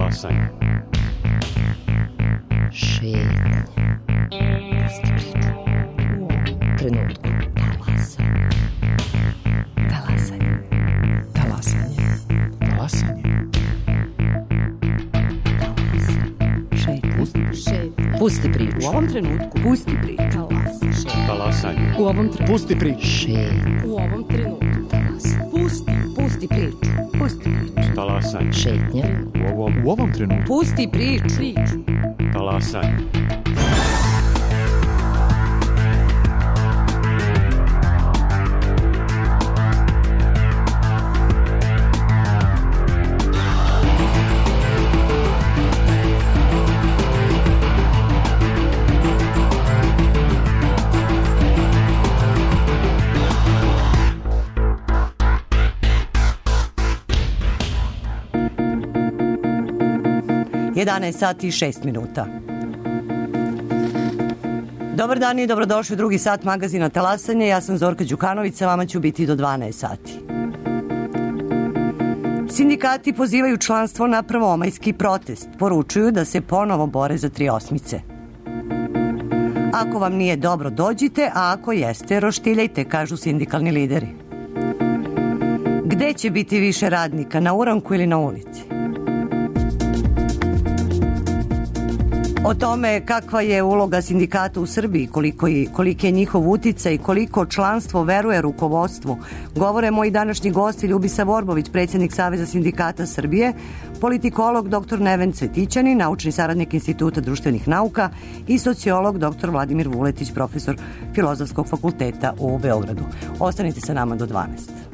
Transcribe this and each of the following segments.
Talasanje. Šetnje. Pusti priču. U ovom trenutku. Talasanje. Talasanje. Talasanje. Talasanje. Šetnje. Pusti priču. U ovom trenutku. Pusti priču. Talasanje. U ovom trenutku. Pusti priču. Šetnje. U ovom trenutku. Pusti priču. Pusti priču. Talasanje. Šetnje. U ovom trenutku. Pusti priču. Talasanje. sati i 6 minuta. Dobar dan i dobrodošli u drugi sat magazina Talasanje. Ja sam Zorka Đukanović, sa vama ću biti do 12 sati. Sindikati pozivaju članstvo na prvomajski protest. Poručuju da se ponovo bore za 3 osmice. Ako vam nije dobro, dođite, a ako jeste, roštiljajte, kažu sindikalni lideri. Gde će biti više radnika, na uranku ili na ulici? O tome kakva je uloga sindikata u Srbiji, koliki je njihov uticaj i koliko članstvo veruje rukovodstvu, govore moji današnji gosti Ljubisa Vorbović, predsjednik Saveza sindikata Srbije, politikolog dr. Neven Cvetićanin, naučni saradnik Instituta društvenih nauka i sociolog dr. Vladimir Vuletić, profesor Filozofskog fakulteta u Beogradu. Ostanite sa nama do 12.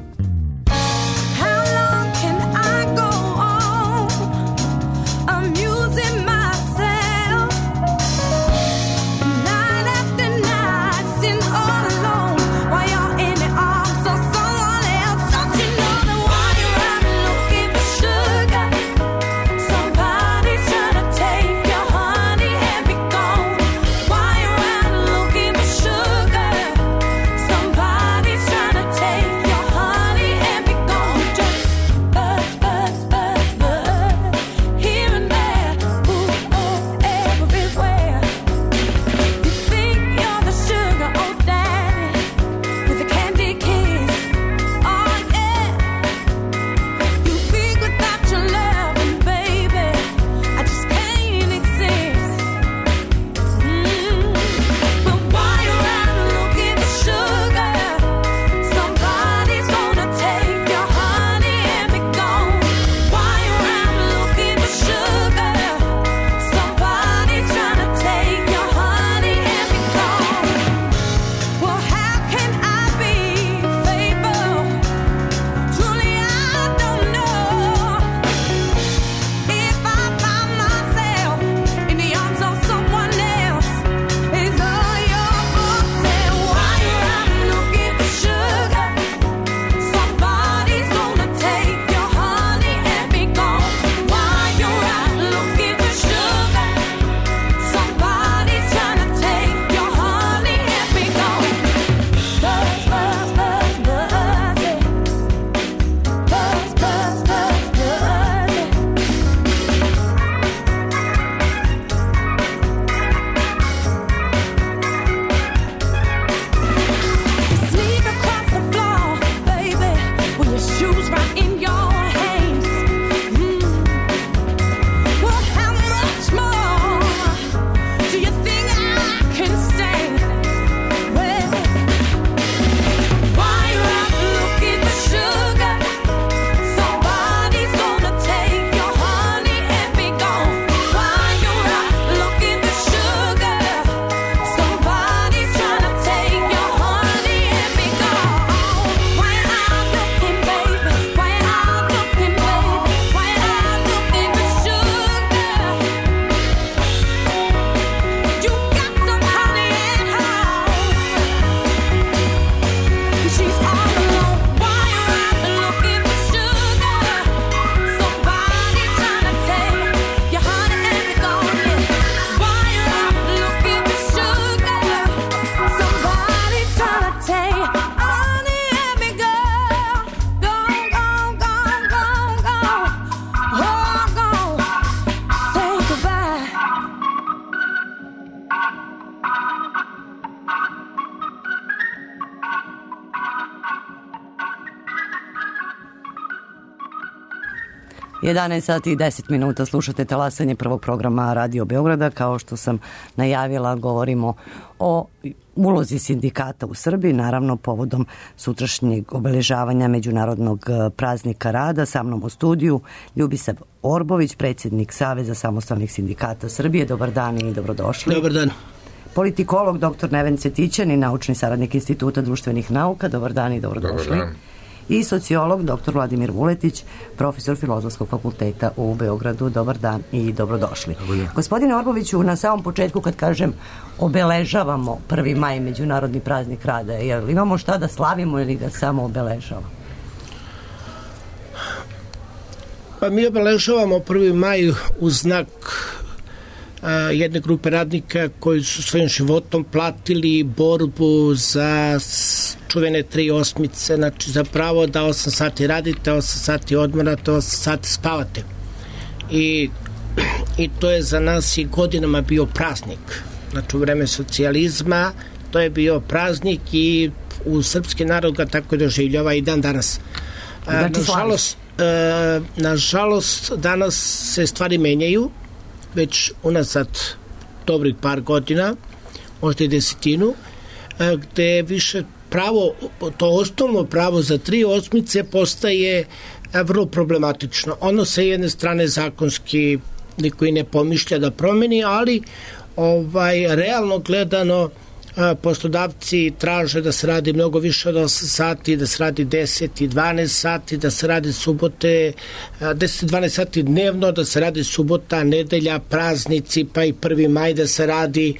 Somebody's trying to take your heart. 11 sati i 10 minuta slušate talasanje prvog programa Radio Beograda. Kao što sam najavila, govorimo o ulozi sindikata u Srbiji, naravno povodom sutrašnjeg obeležavanja Međunarodnog praznika rada. Sa mnom u studiju Ljubisav Orbović, predsjednik Saveza samostalnih sindikata Srbije. Dobar dan i dobrodošli. Dobar dan. Politikolog dr. Neven Cvetićanin, naučni saradnik Instituta društvenih nauka. Dobar dan i dobrodošli. Dobar dan. I sociolog dr. Vladimir Vuletić, profesor Filozofskog fakulteta u Beogradu. Dobar dan i dobrodošli. Gospodine Orboviću, na samom početku kad kažem obeležavamo 1. maj, Međunarodni praznik rada, jel imamo šta da slavimo ili ga samo obeležavamo? Pa mi obeležavamo 1. maj u znak jedne grupe radnika koji su svojim životom platili borbu za čuvene 3 osmice, znači za pravo da 8 sati radite, 8 sati odmarate, 8 sati spavate. I to je za nas i godinama bio praznik. Znači u vreme socijalizma to je bio praznik i u srpski narod ga tako doživljava i dan danas. Nažalost, danas se stvari menjaju, već unazad dobrih par godina, možda i 10, gde više pravo, to osnovno pravo za 3 osmice postaje vrlo problematično. Ono sa jedne strane zakonski niko i ne pomišlja da promeni, ali realno gledano poslodavci traže da se radi mnogo više od 8 sati, da se radi 10 i 12 sati, da se radi subote 10 i 12 sati dnevno, da se radi subota, nedelja, praznici, pa i 1. maj da se radi,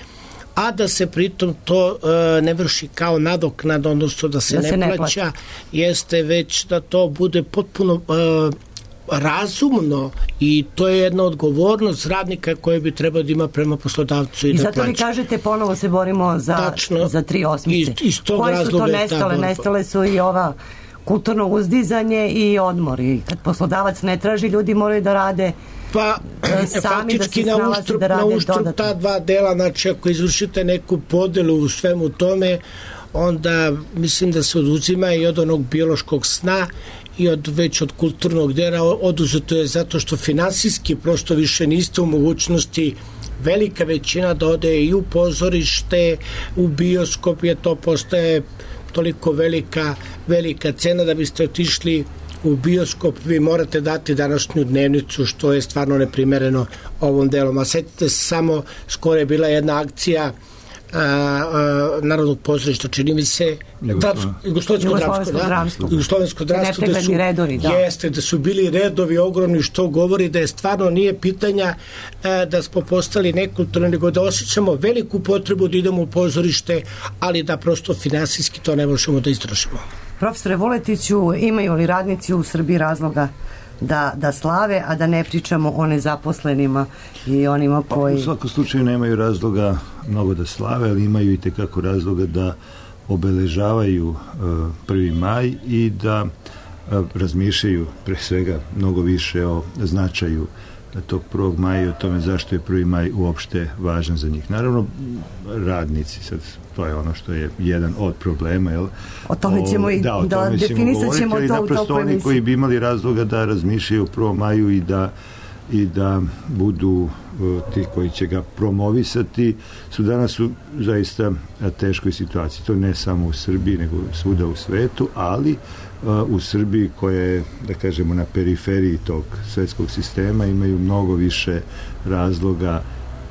a da se pritom to ne vrši kao nadoknada, odnosno da se ne plaća, jeste već da to bude potpuno razumno i to je jedna odgovornost radnika koje bi trebao da ima prema poslodavcu i da plaća. I zato vi kažete ponovo se borimo za 3 osmice. Koje su to nestale? Nestale su i ova kulturno uzdizanje i odmor. I kad poslodavac ne traži, ljudi moraju da rade sami, da se snalaze, da rade dodatno. Ta dva dela, znači ako izvršite neku podelu u svemu tome, onda mislim da se oduzima i od onog biološkog sna i već od kulturnog dela. Oduzeto je zato što finansijski prosto više niste u mogućnosti, velika većina da ode i u pozorište, u bioskop, jer to postaje toliko velika cena da biste otišli u bioskop, vi morate dati današnju dnevnicu, što je stvarno neprimereno ovom delom. A setite se samo, skoro je bila jedna akcija Narodnog pozorišta, čini mi se Jugoslovensko dramsko, da su bili redovi ogromni, što govori da je stvarno nije pitanja da smo postali nekulturni, nego da osjećamo veliku potrebu da idemo u pozorište, ali da prosto finansijski to ne možemo da izdržimo. Profesore Vuletiću, imaju li radnici u Srbiji razloga da slave, a da ne pričamo o nezaposlenima i onima koji... U svakom slučaju nemaju razloga mnogo da slave, ali imaju i tekako razloga da obeležavaju 1. maj i da razmišljaju pre svega mnogo više o značaju tog 1. maja i o tome zašto je 1. maj uopšte važan za njih. Naravno, radnici, sad to je ono što je jedan od problema, jel? O tome ćemo definisat ćemo to u toku emisije. Naprosto oni koji bi imali razloga da razmišljaju o 1. maju i da budu ti koji će ga promovisati, su danas u zaista teškoj situaciji. To ne samo u Srbiji, nego svuda u svetu, ali u Srbiji koja je, da kažemo, na periferiji tog svetskog sistema, imaju mnogo više razloga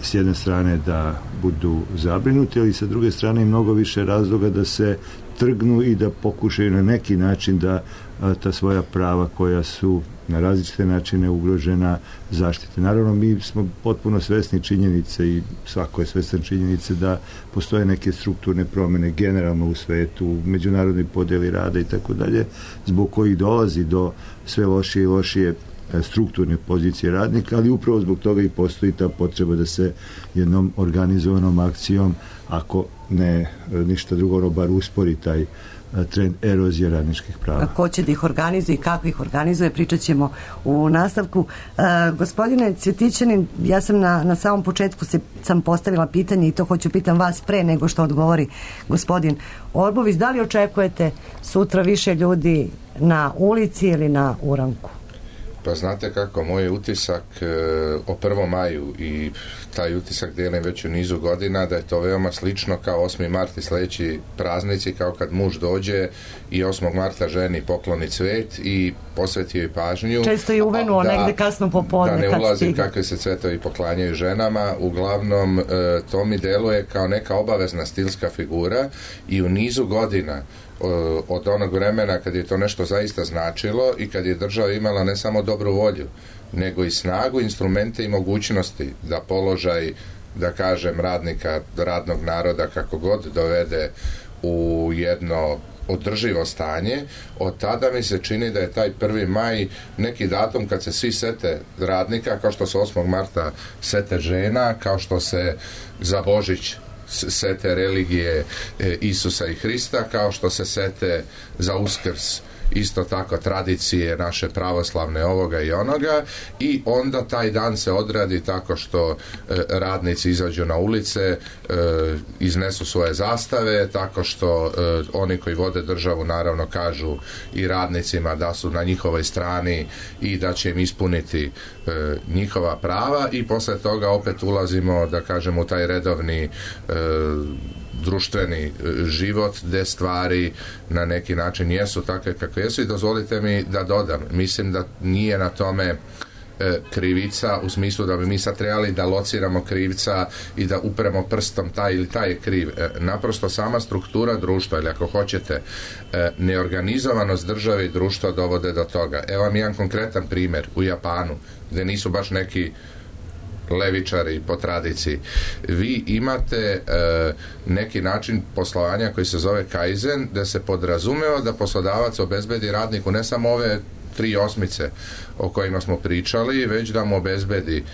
s jedne strane da budu zabrinuti, ali sa druge strane i mnogo više razloga da se trgnu i da pokušaju na neki način da ta svoja prava koja su na različite načine ugrožena zaštite. Naravno, mi smo potpuno svesni činjenice i svako je svestan činjenice da postoje neke strukturne promene generalno u svetu, u međunarodnoj podeli rada i tako dalje, zbog kojih dolazi do sve lošije i lošije strukturne pozicije radnika, ali upravo zbog toga i postoji ta potreba da se jednom organizovanom akcijom, ako ne ništa drugo, bar uspori taj trend erozije radničkih prava. Ko će da ih organizuje i kako ih organizuje, pričat ćemo u nastavku. Gospodine Cvetićanin, ja sam na samom početku sam postavila pitanje i to hoću pitam vas pre nego što odgovori gospodin Orbović. Da li očekujete sutra više ljudi na ulici ili na uranku? Pa znate kako, moj utisak o 1. maju i taj utisak dijelim već u nizu godina, da je to veoma slično kao 8. mart i sljedeći praznici, kao kad muž dođe i 8. marta ženi pokloni cvet i posveti joj pažnju. Često je uvenuo negde kasno popodne. Da ne ulazim kakve se cvetovi poklanjaju ženama. Uglavnom, to mi deluje kao neka obavezna stilska figura i u nizu godina od onog vremena kad je to nešto zaista značilo i kad je država imala ne samo dobru volju, nego i snagu, instrumente i mogućnosti da položaj, da kažem, radnika, radnog naroda kako god dovede u jedno održivo stanje. Od tada mi se čini da je taj 1. maj neki datum kad se svi sete radnika, kao što se 8. marta sete žena, kao što se za Božić sete religije Isusa i Hrista, kao što se sete za Uskrs isto tako tradicije naše pravoslavne ovoga i onoga, i onda taj dan se odradi tako što radnici izađu na ulice, iznesu svoje zastave, tako što oni koji vode državu naravno kažu i radnicima da su na njihovoj strani i da će im ispuniti njihova prava, i posle toga opet ulazimo, da kažem, u taj redovni društveni život gde stvari na neki način jesu takve kakve jesu. I dozvolite mi da dodam, mislim da nije na tome krivica u smislu da bi mi sad trebali da lociramo krivca i da upremo prstom taj ili taj je kriv. Naprosto sama struktura društva, ili ako hoćete neorganizovanost države i društva dovode do toga. Evo vam jedan konkretan primjer u Japanu, gde nisu baš neki levičari po tradiciji. Vi imate neki način poslovanja koji se zove kaizen, da se podrazumeva da poslodavac obezbedi radniku ne samo ove 3 osmice o kojima smo pričali, već da mu obezbedi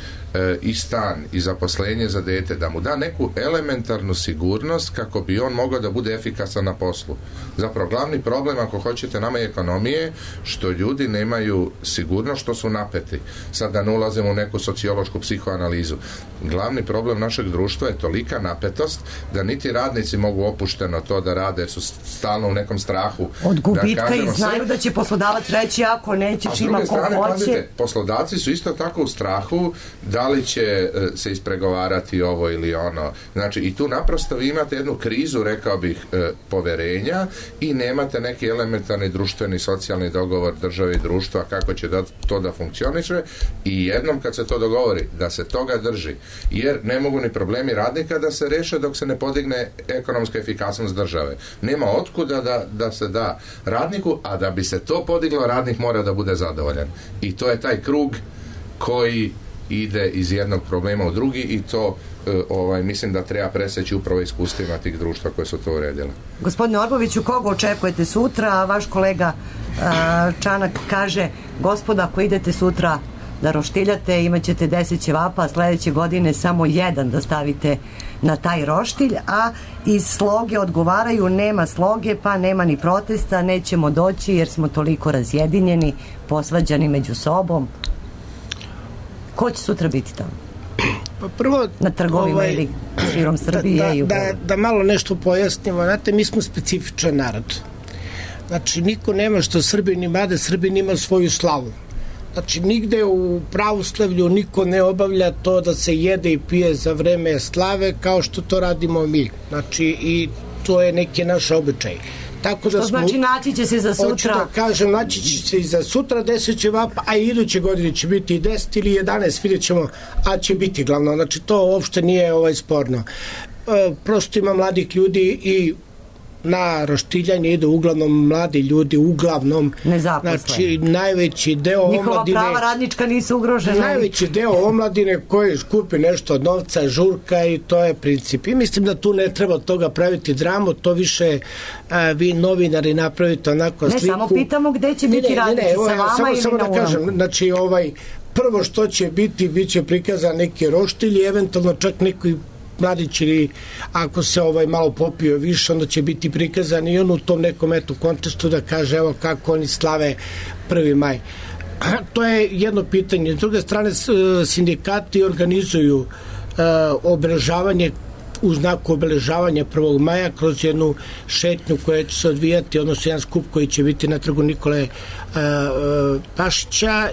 i stan i zaposlenje za dete, da mu da neku elementarnu sigurnost kako bi on mogao da bude efikasan na poslu. Zapravo glavni problem, ako hoćete, nama je ekonomije, što ljudi nemaju sigurnost, što su napeti. Sad da ne ulazimo u neku sociološku psihoanalizu. Glavni problem našeg društva je tolika napetost da niti radnici mogu opušteno to da rade, jer su stalno u nekom strahu. Od gubitka i znaju da će poslodavac reći ako nećeš ima ko hoće. Pazite, poslodavci su isto tako u strahu da li će se ispregovarati ovo ili ono. Znači, i tu naprosto vi imate jednu krizu, rekao bih, poverenja, i nemate neki elementarni društveni, socijalni dogovor države i društva kako će to da funkcioniše, i jednom kad se to dogovori, da se toga drži, jer ne mogu ni problemi radnika da se reše dok se ne podigne ekonomska efikasnost države. Nema otkuda da se da radniku, a da bi se to podiglo, radnik mora da bude zadovoljan. I to je taj krug koji ide iz jednog problema u drugi, i to mislim da treba preseći upravo iskustvima tih društva koje su to uredile. Gospodine Orboviću, koga očekujete sutra? A vaš kolega Čanak kaže, gospoda, ako idete sutra da roštiljate, imat ćete 10 ćevapa, a sledeće godine samo 1 da stavite na taj roštilj, a iz sloge odgovaraju, nema sloge, pa nema ni protesta, nećemo doći jer smo toliko razjedinjeni, posvađani među sobom. Ko će sutra biti tamo? Pa prvo, na trgovima ili širom Srbije? Da malo nešto pojasnimo. Znate, mi smo specifičan narod. Znači, niko nema što Srbin ima, da Srbin ima svoju slavu. Znači, nigde u pravoslavlju niko ne obavlja to da se jede i pije za vreme slave kao što to radimo mi. Znači, i to je neki naš običaj. Tako da što znači naći će se za sutra? Hoću da kažem, naći će se i za sutra 10 ćevapa, a i iduće godine će biti i 10 ili 11, vidjet ćemo, a će biti glavno. Znači, to uopšte nije sporno. Prosto ima mladih ljudi i na roštiljanje idu uglavnom mladi ljudi, uglavnom nezaposleni. Znači, najveći deo omladine, njihova prava radnička nisu ugrožena. Najveći deo omladine koji skupi nešto od novca, žurka, i to je princip. I mislim da tu ne treba od toga praviti dramu, to više vi novinari napravite onako sliku. Ne, samo pitamo gde će biti radnici, sa vama ili samo na da kažem, znači prvo što će biti, bit će prikazan neki roštilj i eventualno čak neki mladić, ili ako se malo popio više, onda će biti prikazan i on u tom nekom kontestu da kaže evo kako oni slave 1. maj. To je jedno pitanje. S druge strane, sindikati organizuju obeležavanje u znaku obeležavanja 1. maja kroz jednu šetnju koja će se odvijati, odnosno jedan skup koji će biti na trgu Nikole Pašića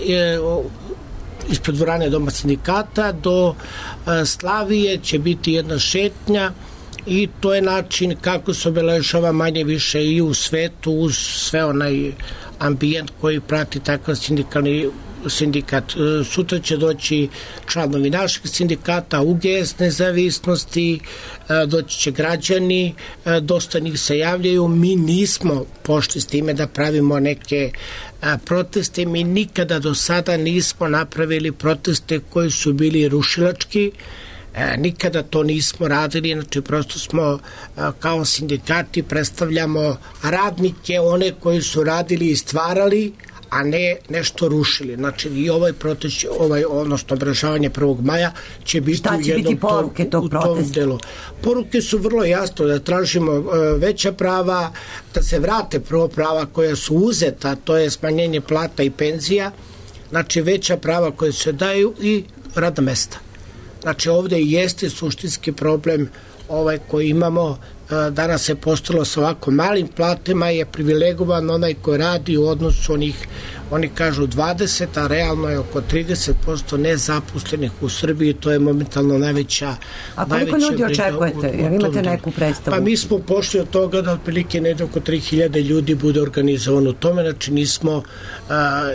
ispred dvorane Doma sindikata do Slavije će biti jedna šetnja i to je način kako se obeležava manje više i u svetu uz sve onaj ambijent koji prati takav sindikat. Sutra će doći članovi našeg sindikata, UGS nezavisnosti, doći će građani, dosta njih se javljaju. Mi nismo pošli s time da pravimo neke proteste, mi nikada do sada nismo napravili proteste koji su bili rušilački, nikada to nismo radili, znači prosto smo kao sindikati predstavljamo radnike, one koji su radili i stvarali, a ne nešto rušili. Znači i ovaj protest, odnosno obeležavanje 1. maja će biti Šta će biti poruke tog protesta? Delu. Poruke su vrlo jasno da tražimo veća prava, da se vrate prvo prava koja su uzeta, to je smanjenje plata i penzija, znači veća prava koje se daju i radna mesta. Znači ovde jeste suštinski problem koji imamo. Danas se postalo sa ovako malim platama je privilegovan onaj koji radi u odnosu oni kažu 20, a realno je oko 30% nezaposlenih u Srbiji, to je momentalno najveća. A koliko ljudi očekujete? Jer imate neku predstavu? Pa mi smo pošli od toga da otprilike negde oko 3000 ljudi bude organizovano u tome, znači nismo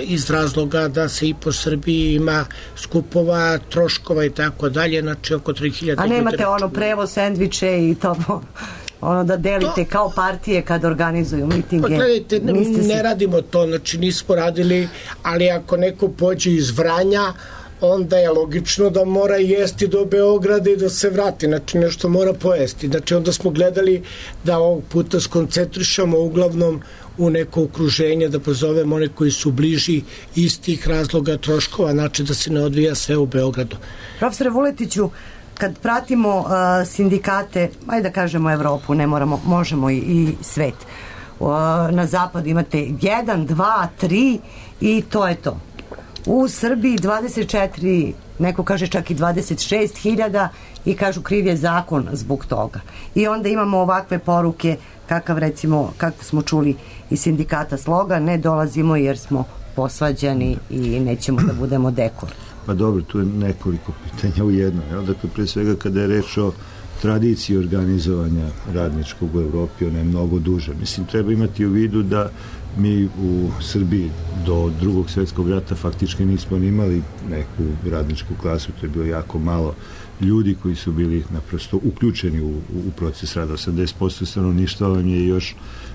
iz razloga da se i po Srbiji ima skupova, troškova i tako dalje, znači oko 3000 ljudi. A nemate prevoz, sendviče i to da delite kao partije kad organizuju mitinge? Gledajte, ne radimo to, znači nismo radili, ali ako neko pođe iz Vranja, onda je logično da mora jesti do Beograda i da se vrati, znači nešto mora pojesti. Znači onda smo gledali da ovog puta skoncentrišamo uglavnom u neko okruženje, da pozovemo one koji su bliži iz tih razloga troškova, znači da se ne odvija sve u Beogradu. Profesore Vuletiću, kad pratimo sindikate, ajde da kažemo Evropu, ne moramo, možemo i svet. Na zapadu imate 1, 2, 3 i to je to. U Srbiji 24, neko kaže čak i 26.000 i kažu kriv je zakon zbog toga. I onda imamo ovakve poruke kako smo čuli iz sindikata Sloga, ne dolazimo jer smo posvađani i nećemo da budemo dekor. Pa dobro, tu je nekoliko pitanja u jedno. Dakle, pre svega kada je reč o tradiciji organizovanja radničkog u Evropi, ona je mnogo duža. Mislim, treba imati u vidu da mi u Srbiji do Drugog svjetskog rata faktički nismo imali neku radničku klasu, to je bilo jako malo ljudi koji su bili naprosto uključeni u proces rada. 80% stanovništva vam je još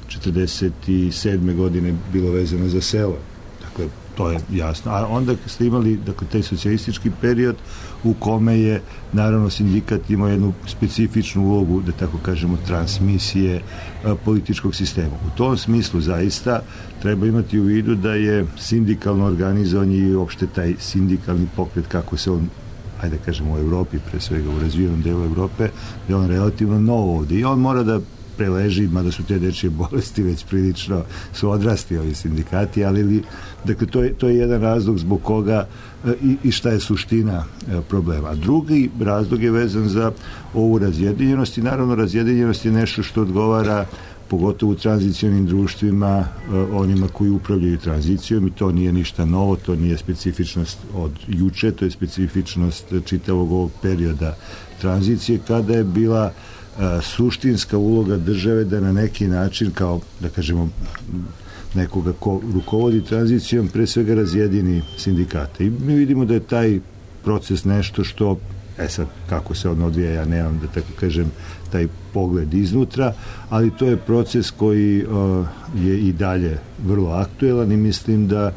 47. godine bilo vezano za selo. Dakle, to je jasno. A onda ste imali, dakle, taj socijalistički period u kome je, naravno, sindikat imao jednu specifičnu ulogu, da tako kažemo, transmisije političkog sistema. U tom smislu, zaista, treba imati u vidu da je sindikalno organizovanje i uopšte taj sindikalni pokret, kako se on, ajde kažemo, u Evropi, pre svega u razvijenom delu Evrope, da je on relativno novo ovde i on mora da preleži, mada su te dečije bolesti već prilično su odrasti ovi sindikati, ali dakle, to je jedan razlog zbog koga i šta je suština problema. A drugi razlog je vezan za ovu razjedinjenost i naravno razjedinjenost je nešto što odgovara pogotovo u tranzicionim društvima onima koji upravljaju tranzicijom i to nije ništa novo, to nije specifičnost od juče, to je specifičnost čitavog ovog perioda tranzicije kada je bila suštinska uloga države da na neki način kao, da kažemo, nekoga ko rukovodi tranzicijom pre svega razjedini sindikate. I mi vidimo da je taj proces nešto što, sad kako se on odvija, ja nemam da tako kažem taj pogled iznutra, ali to je proces koji je i dalje vrlo aktuelan i mislim da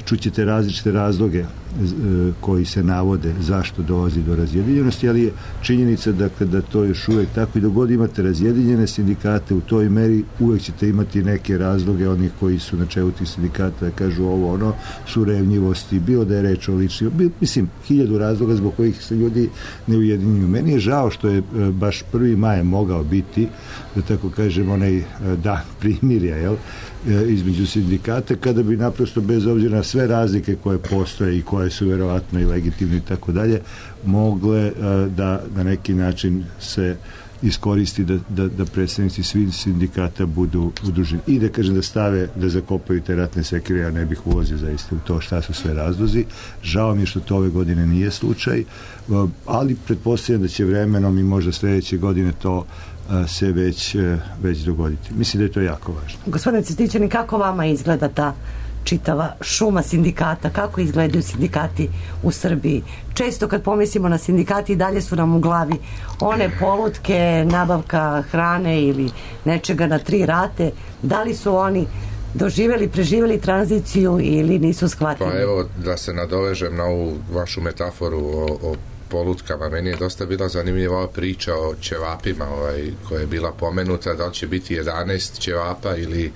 čućete različite razloge koji se navode zašto dolazi do razjedinjenosti, ali je činjenica da to još uvek tako i dok god imate razjedinjene sindikate u toj meri uvek ćete imati neke razloge onih koji su na čelu tih sindikata da kažu ovo ono, su revnjivosti, bilo da je reč o ličnim, mislim, 1000 razloga zbog kojih se ljudi ne ujedinjuju. Meni je žao što je baš 1. maj mogao biti, da tako kažem, onaj dan primirja, jel? između sindikata, kada bi naprosto bez obzira na sve razlike koje postoje i koje su verovatno i legitimne i tako dalje, mogle da na neki način se iskoristi da predstavnici svih sindikata budu udruženi i da kažem da stave, da zakopaju te ratne sekire. Ja ne bih ulazio zaista u to šta su sve razlozi. Žao mi je što to ove godine nije slučaj, ali pretpostavljam da će vremenom i možda sledeće godine to se već dogoditi. Mislim da je to jako važno. Gospodine Cvetićanin, kako vama izgleda ta čitava šuma sindikata, kako izgledaju sindikati u Srbiji? Često kad pomislimo na sindikati i dalje su nam u glavi one polutke, nabavka hrane ili nečega na 3 rate. Da li su oni doživjeli, preživjeli tranziciju ili nisu shvatili? Pa evo, da se nadovežem na ovu vašu metaforu o polutkama. Meni je dosta bila zanimljiva ova priča o ćevapima koja je bila pomenuta, da li će biti 11 ćevapa ili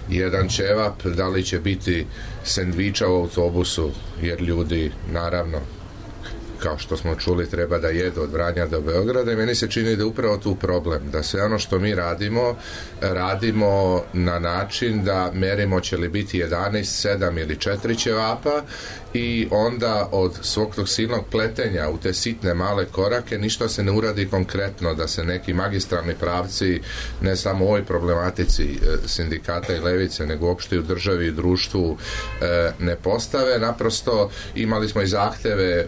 jedan ćevap, da li će biti sendviča u autobusu, jer ljudi, naravno, kao što smo čuli, treba da jedu od Vranja do Beograda i meni se čini da je upravo tu problem, da sve ono što mi radimo na način da merimo će li biti 11, 7 ili 4 ćevapa i onda od svog tog silnog pletenja u te sitne male korake ništa se ne uradi konkretno, da se neki magistralni pravci ne samo u ovoj problematici sindikata i levice, nego uopšte u državi i društvu ne postave. Naprosto imali smo i zahteve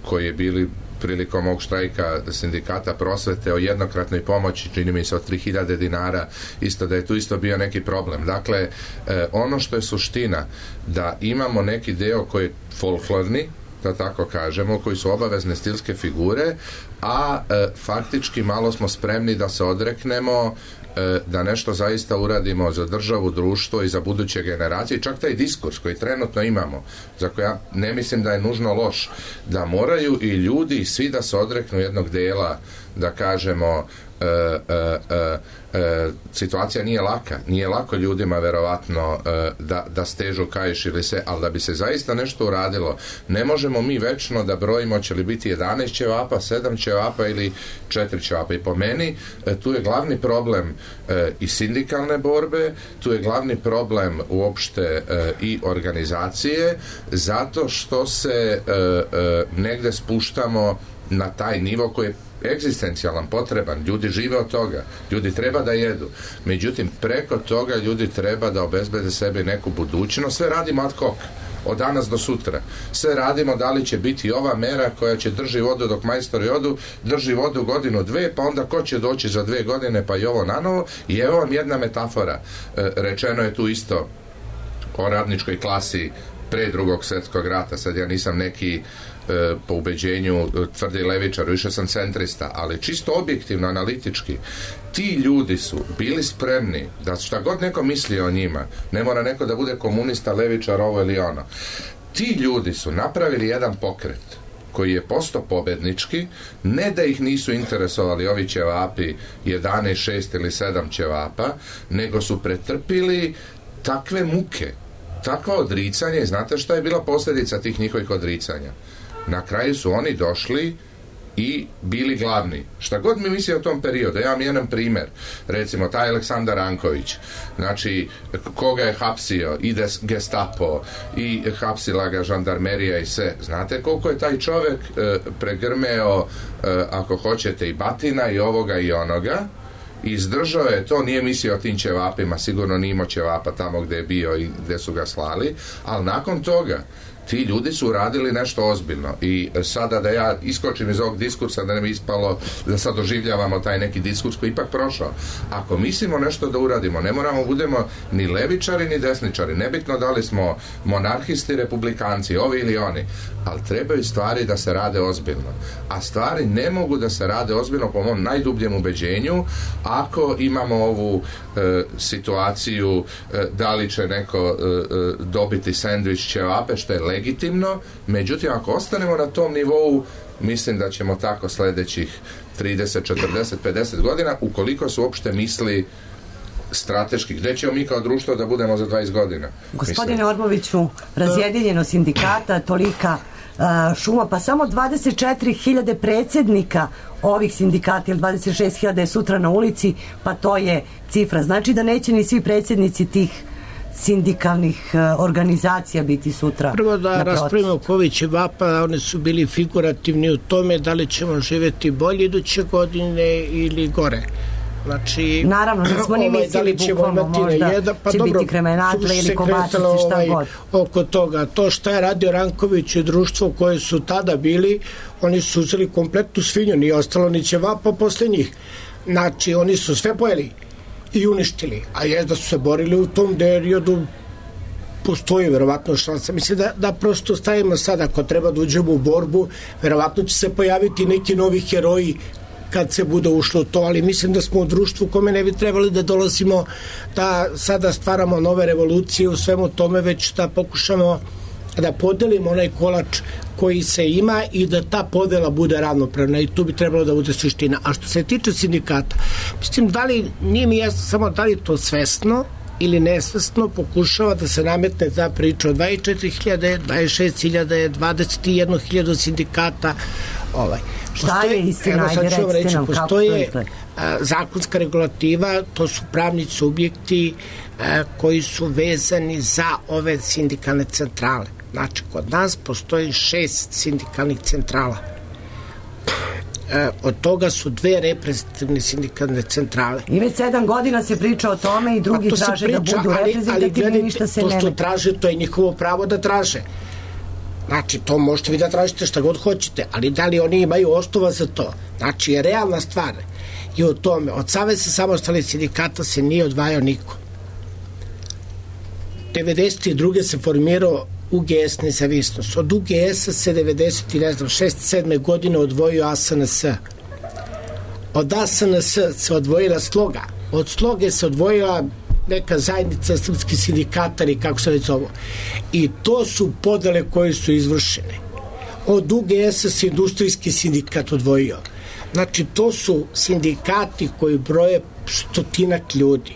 koji je bili prilikom ovog štrajka sindikata prosvete o jednokratnoj pomoći, čini mi se od 3000 dinara, isto da je tu isto bio neki problem. Dakle, ono što je suština, da imamo neki deo koji je folklorni, da tako kažemo, koji su obavezne stilske figure, a faktički malo smo spremni da se odreknemo, da nešto zaista uradimo za državu, društvo i za buduće generacije. Čak taj diskurs koji trenutno imamo, za koji ja ne mislim da je nužno loš, da moraju i ljudi i svi da se odreknu jednog dela, da kažemo, situacija nije lako ljudima verovatno da stežu kaiš ili se, ali da bi se zaista nešto uradilo, ne možemo mi večno da brojimo će li biti 11 ćevapa, 7 ćevapa ili 4 ćevapa. I po meni tu je glavni problem i sindikalne borbe, tu je glavni problem uopšte i organizacije, zato što se negde spuštamo na taj nivo koji je egzistencijalan, potreban, ljudi žive od toga, ljudi treba da jedu, međutim preko toga ljudi treba da obezbede sebi neku budućnost. Sve radimo ad hoc, od danas do sutra, sve radimo da li će biti ova mera koja će drži vodu dok majstori odu, drži vodu godinu, dve, pa onda ko će doći za 2 godine, pa i ovo nanovo. I evo vam jedna metafora, rečeno je tu isto o radničkoj klasi pre Drugog svjetskog rata, sad ja nisam neki po ubeđenju tvrdi levičar, više sam centrista, ali čisto objektivno, analitički, ti ljudi su bili spremni da šta god neko misli o njima, ne mora neko da bude komunista, levičar, ovo ili ono, ti ljudi su napravili jedan pokret koji je postao pobednički, ne da ih nisu interesovali ovi ćevapi 11, 6 ili 7 ćevapa, nego su pretrpili takve muke, takva odricanja. I znate šta je bila posljedica tih njihovih odricanja? Na kraju su oni došli i bili glavni. Šta god mi misli o tom periodu, ja vam jedan primjer, recimo taj Aleksandar Ranković, znači koga je hapsio, ide Gestapo i hapsila ga žandarmerija i sve. Znate koliko je taj čovjek pregrmeo, ako hoćete, i batina i ovoga i onoga, izdržao je to, nije mislio o tim ćevapima, sigurno nije imao ćevapa tamo gdje je bio i gdje su ga slali, ali nakon toga ti ljudi su uradili nešto ozbiljno. I sada da ja iskočim iz ovog diskursa, da ne bi ispalo da sad doživljavamo taj neki diskurs koji ipak prošao. Ako mislimo nešto da uradimo, ne moramo budemo ni levičari ni desničari, nebitno da li smo monarhisti, republikanci, ovi ili oni, ali trebaju stvari da se rade ozbiljno. A stvari ne mogu da se rade ozbiljno, po mom najdubljem ubeđenju, ako imamo ovu situaciju da li će neko dobiti sendvič ćevape, što je legitimno, međutim ako ostanemo na tom nivou, mislim da ćemo tako sljedećih 30, 40, 50 godina, ukoliko su uopšte misli strateški. Gde ćemo mi kao društvo da budemo za 20 godina? Gospodine Orboviću, razjedinjeno sindikata, tolika šuma, pa samo 24.000 predsjednika ovih sindikata ili 26.000 je sutra na ulici, pa to je cifra. Znači da neće ni svi predsjednici tih sindikalnih organizacija biti sutra. Prvo da raspravimo Ković i Vapa, oni su bili figurativni u tome da li ćemo živjeti bolje iduće godine ili gore. Znači, naravno, da smo ni mislili bukvalno možda će biti kremenatle ili kovačice, šta god. Oko toga, to što je radio Ranković i društvo koje su tada bili, oni su uzeli kompletnu svinju, nije ostalo ni ćevapa posle njih. Znači, oni su sve pojeli i uništili, a je da su se borili u tom periodu, postoji verovatno šansa. Mislim da prosto stavimo sad, ako treba da uđemo u borbu, verovatno će se pojaviti neki novi heroji kad se bude ušlo to, ali mislim da smo u društvu kome ne bi trebali da dolazimo da sada stvaramo nove revolucije u svemu tome, već da pokušamo da podelimo onaj kolač koji se ima i da ta podela bude ravnopravna i tu bi trebalo da bude suština. A što se tiče sindikata, mislim, da li, nije mi jasno samo da li to svesno ili nesvesno pokušava da se nametne ta priča od 24.000, 26.000, 21.000 sindikata. Šta je istina? Postoje zakonska regulativa, to su pravni subjekti koji su vezani za ove sindikalne centrale. Znači, kod nas postoji 6 sindikalnih centrala. Od toga su 2 reprezentativne sindikalne centrale. I već 7 godina se priča o tome i drugi traže da budu reprezentativni, ništa se ne... To što traže, to je njihovo pravo da traže. Znači, to možete vi da tražite šta god hoćete, ali da li oni imaju osnova za to? Znači, je realna stvar i o tome. Od Saveza samostalnih sindikata se nije odvajao niko. 92. se formirao UGS nezavisnost. Od UGS-a se 6-7 godine odvojio ASNS. Od ASNS se odvojila Sloga. Od Sloge se odvojila neka zajednica srpskih sindikata ili kako se već zovu. I to su podele koje su izvršene. Od UGS-a se industrijski sindikat odvojio. Znači, to su sindikati koji broje 100 ljudi.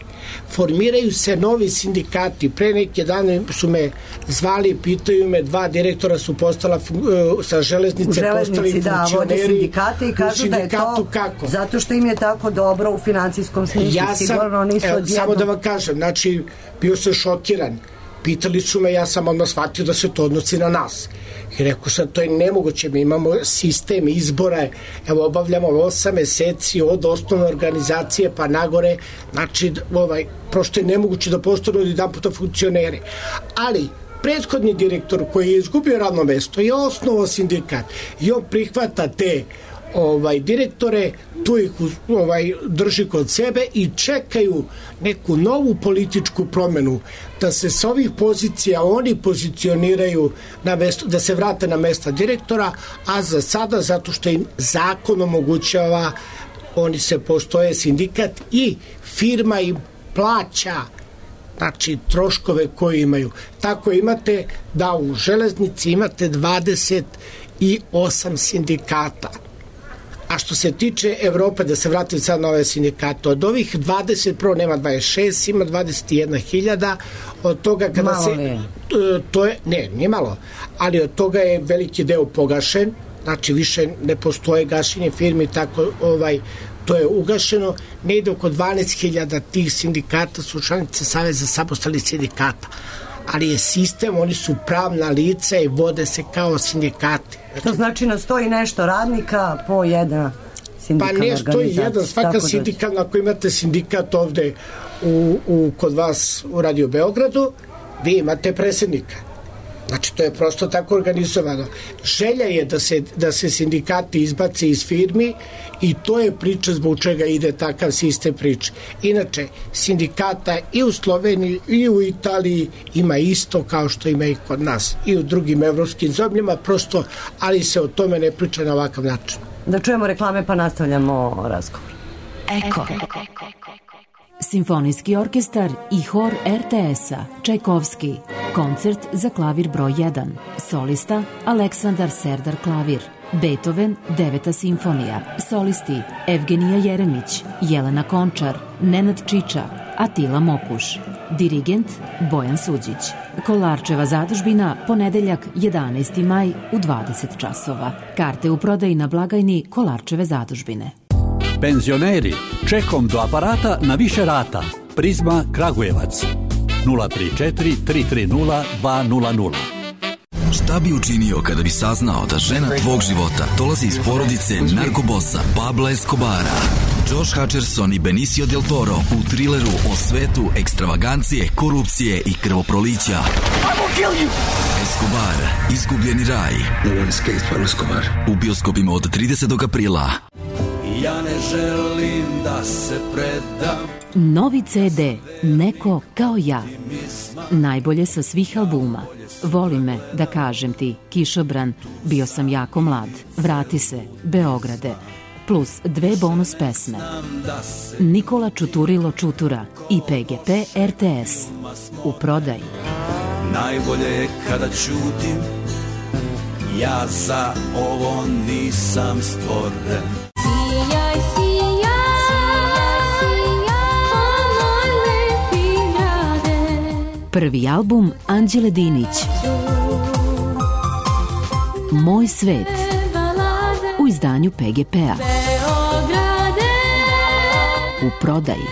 Formiraju se novi sindikati. Pre neke dane su me zvali, pitaju me, 2 direktora su postala sa železnice, postali funkcioneri sindikate i kažu da je to kako? Zato što im je tako dobro u finansijskom smislu. Sigurno nisu odjedno. Samo da vam kažem, znači, bio sam šokiran. Pitali su me, ja sam odmah shvatio da se to odnosi na nas. I rekao sam, to je nemoguće, mi imamo sistem izbora, evo obavljamo 8 meseci od osnovne organizacije pa nagore, znači prosto je nemoguće da postanu jedan puta funkcioneri. Ali prethodni direktor koji je izgubio radno mesto je osnovao sindikat i on prihvata te direktore, tu ih drži kod sebe i čekaju neku novu političku promenu, da se s ovih pozicija oni pozicioniraju na mesto, da se vrate na mesta direktora, a za sada, zato što im zakon omogućava, oni se postoje sindikat i firma im plaća, znači troškove koje imaju. Tako imate da u železnici imate 28 sindikata. A što se tiče Evrope, da se vratim sad na ove sindikate, od ovih 20, prvo nema 26, ima 21.000, od toga kada malo se... To je, nije malo, ali od toga je veliki deo pogašen, znači više ne postoje gašenje firmi, tako to je ugašeno, ne ide oko 12.000 tih sindikata su članice Saveza samostalnih sindikata, ali je sistem, oni su pravna lica i vode se kao sindikati. To znači na 100 i nešto radnika po jedna sindikalna organizacija. Pa ne 101, svaka sindikalna, ako imate sindikat ovde kod vas u Radio Beogradu, vi imate predsjednika. Znači, to je prosto tako organizovano. Želja je da se sindikati izbace iz firmi i to je priča zbog čega ide takav sistem priče. Inače, sindikata i u Sloveniji i u Italiji ima isto kao što ima i kod nas. I u drugim evropskim zemljama, prosto, ali se o tome ne priča na ovakav način. Da čujemo reklame pa nastavljamo razgovor. Eko. Simfonijski orkestar i hor RTS-a Čajkovski. Koncert za klavir broj 1. Solista Aleksandar Serdar klavir. Beethoven 9. simfonija. Solisti Evgenija Jeremić, Jelena Končar, Nenad Čiča, Atila Mokuš. Dirigent Bojan Suđić. Kolarčeva zadužbina, ponedeljak 11. maj u 20 časova. Karte u prodaji na blagajni Kolarčeve zadužbine. Penzioneri, čekom do aparata na više rata. Prizma Kragujevac 034 330 200. Šta bi učinio kada bi saznao da žena tvog života dolazi iz porodice narkobosa Pablo Escobara? Josh Hutcherson i Benicio del Toro u trileru o svetu ekstravagancije, korupcije i krvoprolića. Escobar, izgubljeni raj. U bioskopima od 30. aprila. Ja ne želim da se predam. Novi CD Neko kao ja. Najbolje sa svih albuma. Voli me, da kažem ti, Kišobran, bio sam jako mlad, vrati se, Beograde, plus 2 bonus pesme. Nikola Čuturilo Čutura i PGP RTS. U prodaji. Najbolje je kada ćutim, ja za ovo nisam stvoren. Sijaj, moj lepi grade. Prvi album Anđele Dinić. Moj svet. U izdanju PGP-a. U prodaji.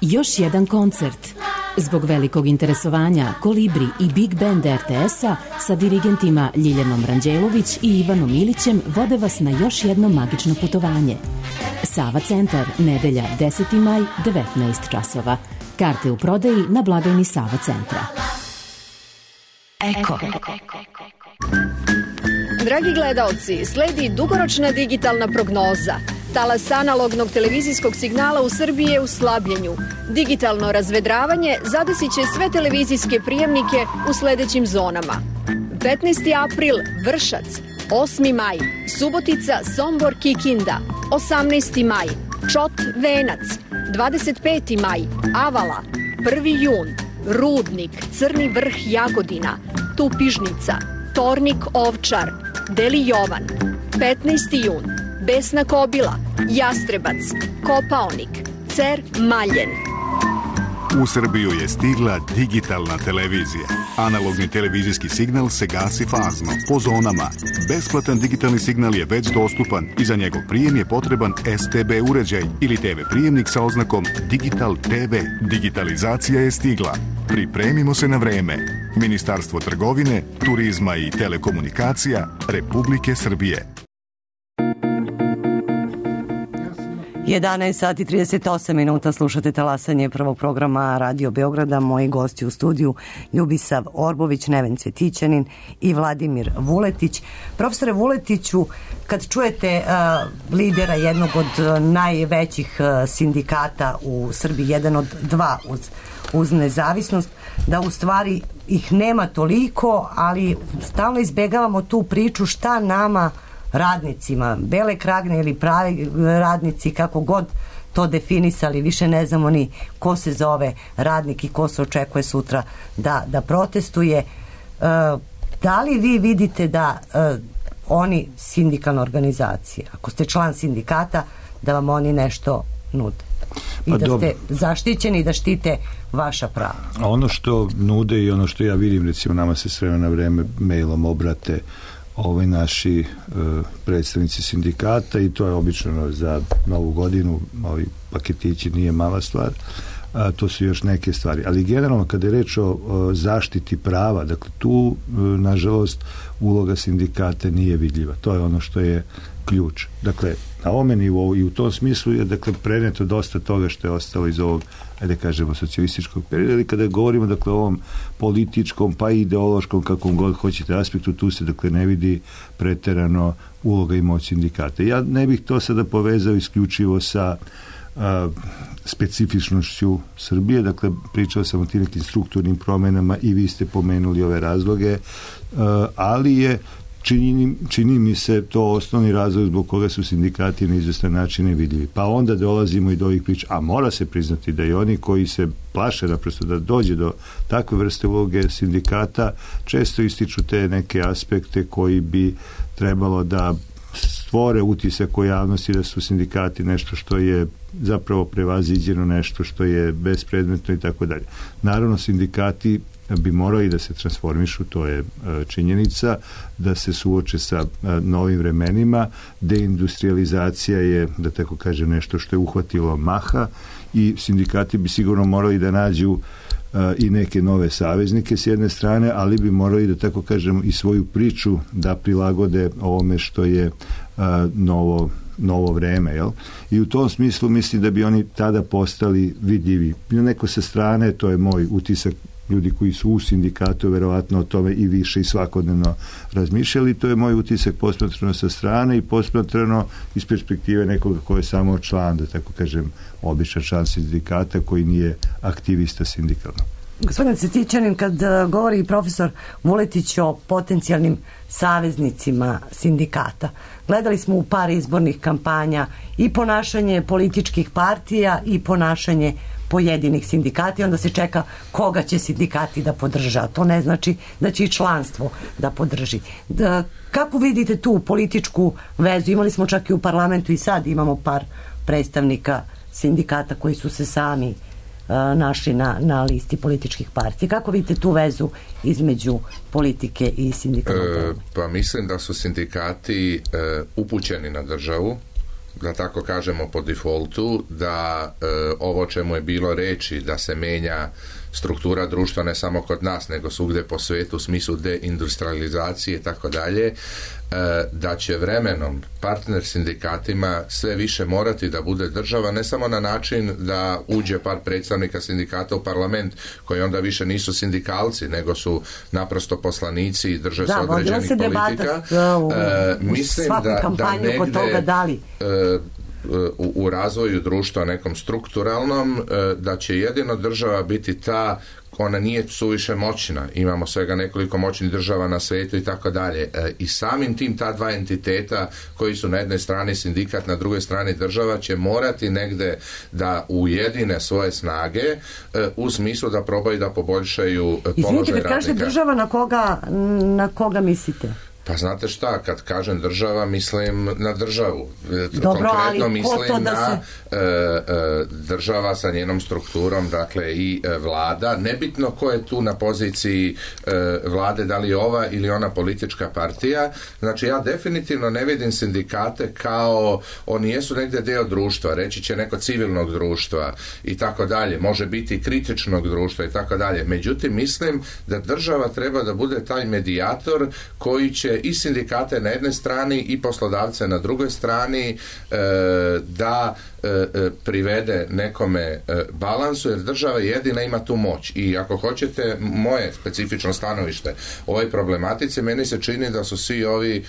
Još jedan koncert. Zbog velikog interesovanja Kolibri i Big Band RTS-a sa dirigentima Ljiljanom Ranđelović i Ivanom Ilićem vode vas na još jedno magično putovanje. Sava centar, nedelja 10. maj, 19 časova. Karte u prodaji na blagajni Sava centra. Eko. Dragi gledaoci, sledi dugoročna digitalna prognoza. Talas analognog televizijskog signala u Srbiji je u slabljenju. Digitalno razvedravanje zadesit će sve televizijske prijemnike u sledećim zonama. 15. april Vršac, 8. maj Subotica, Sombor, Kikinda, 18. maj Čot, Venac, 25. maj Avala, 1. jun Rudnik, Crni Vrh, Jagodina, Tupižnica, Tornik, Ovčar, Deli Jovan, 15. jun Besna Kobila, Jastrebac, Kopaonik, Cer, Maljen. U Srbiju je stigla digitalna televizija. Analogni televizijski signal se gasi fazno, po zonama. Besplatan digitalni signal je već dostupan i za njegov prijem je potreban STB uređaj ili TV prijemnik sa oznakom Digital TV. Digitalizacija je stigla. Pripremimo se na vreme. Ministarstvo trgovine, turizma i telekomunikacija Republike Srbije. 11 sati 38 minuta, slušate talasanje prvog programa Radio Beograda. Moji gosti u studiju Ljubisav Orbović, Neven Cvetićanin i Vladimir Vuletić. Profesore Vuletiću, kad čujete lidera jednog od najvećih sindikata u Srbiji, jedan od dva uz nezavisnost, da u stvari ih nema toliko, ali stalno izbegavamo tu priču šta nama radnicima, bele kragne ili pravi radnici, kako god to definisali, više ne znamo ni ko se zove radnik i ko se očekuje sutra da protestuje. Da li vi vidite da oni, sindikalna organizacija, ako ste član sindikata, da vam oni nešto nude i da ste zaštićeni i da štite vaša prava? Ono što nude i ono što ja vidim, recimo nama se s vremena na vreme mailom obrate naši predstavnici sindikata i to je obično za novu godinu, ovi paketići, nije mala stvar, to su još neke stvari, ali generalno kada je reč o zaštiti prava, dakle tu nažalost uloga sindikata nije vidljiva, to je ono što je ključ. Dakle, na ovome nivou i u tom smislu je dakle preneto dosta toga što je ostalo iz ovog, ajde kažemo, socijalističkog perioda, ali kada govorimo dakle o ovom političkom pa i ideološkom, kakvom god hoćete aspektu, tu se dakle ne vidi preterano uloga i moć sindikata. Ja ne bih to sada povezao isključivo sa specifičnošću Srbije, dakle pričao sam o tim nekim strukturnim promenama i vi ste pomenuli ove razloge, ali je čini mi se to osnovni razlog zbog koga su sindikati na izvestan način nevidljivi. Pa onda dolazimo i do ovih priča, a mora se priznati da i oni koji se plaše naprosto da dođe do takve vrste uloge sindikata često ističu te neke aspekte koji bi trebalo da stvore utisak u javnosti da su sindikati nešto što je zapravo prevaziđeno, nešto što je bespredmetno i tako dalje. Naravno, sindikati bi morali da se transformišu, to je činjenica, da se suoče sa novim vremenima. Deindustrializacija je, da tako kažem, nešto što je uhvatilo maha i sindikati bi sigurno morali da nađu i neke nove saveznike s jedne strane, ali bi morali, da tako kažem, i svoju priču da prilagode ovome što je novo vreme, jel? I u tom smislu mislim da bi oni tada postali vidljivi. Neko sa strane, to je moj utisak, ljudi koji su u sindikatu verovatno o tome i više i svakodnevno razmišljali, to je moj utisak posmatrano sa strane i posmatrano iz perspektive nekoga ko je samo član, da tako kažem, običan član sindikata koji nije aktivista sindikalno. Gospodin Cvetićanin, kad govori profesor Vuletić o potencijalnim saveznicima sindikata, gledali smo u par izbornih kampanja i ponašanje političkih partija i ponašanje pojedinih sindikata i onda se čeka koga će sindikati da podrža. To ne znači da će i članstvo da podrži. Kako vidite tu političku vezu? Imali smo čak i u parlamentu i sad imamo par predstavnika sindikata koji su se sami našli na listi političkih partija. Kako vidite tu vezu između politike i sindikata? Pa mislim da su sindikati upućeni na državu, da tako kažemo po defaultu, da ovo čemu je bilo reči da se menja struktura društva ne samo kod nas nego svugde po svetu u smislu deindustrializacije i tako dalje, da će vremenom partner sindikatima sve više morati da bude država, ne samo na način da uđe par predstavnika sindikata u parlament koji onda više nisu sindikalci nego su naprosto poslanici i drže se određenih politika. Mislim da negde u razvoju društva nekom strukturalnom da će jedino država biti ta, ona nije suviše moćna, imamo svega nekoliko moćnih država na svetu i tako dalje, i samim tim ta dva entiteta koji su na jednoj strani sindikat, na drugoj strani država će morati negde da ujedine svoje snage u smislu da probaju da poboljšaju položaj radnika. Izvinite, kad kažete država, na koga mislite? Pa znate šta, kad kažem država, mislim na državu. Dobro, konkretno mislim na država sa njenom strukturom, dakle i vlada. Nebitno ko je tu na poziciji vlade, da li ova ili ona politička partija. Znači ja definitivno ne vidim sindikate kao, oni jesu negde deo društva, reći će neko civilnog društva i tako dalje, može biti kritičnog društva i tako dalje. Međutim, mislim da država treba da bude taj medijator koji će i sindikate na jednoj strani i poslodavce na drugoj strani da privede nekome balansu, jer država jedina ima tu moć. I ako hoćete moje specifično stanovište o ovoj problematici, meni se čini da su svi ovi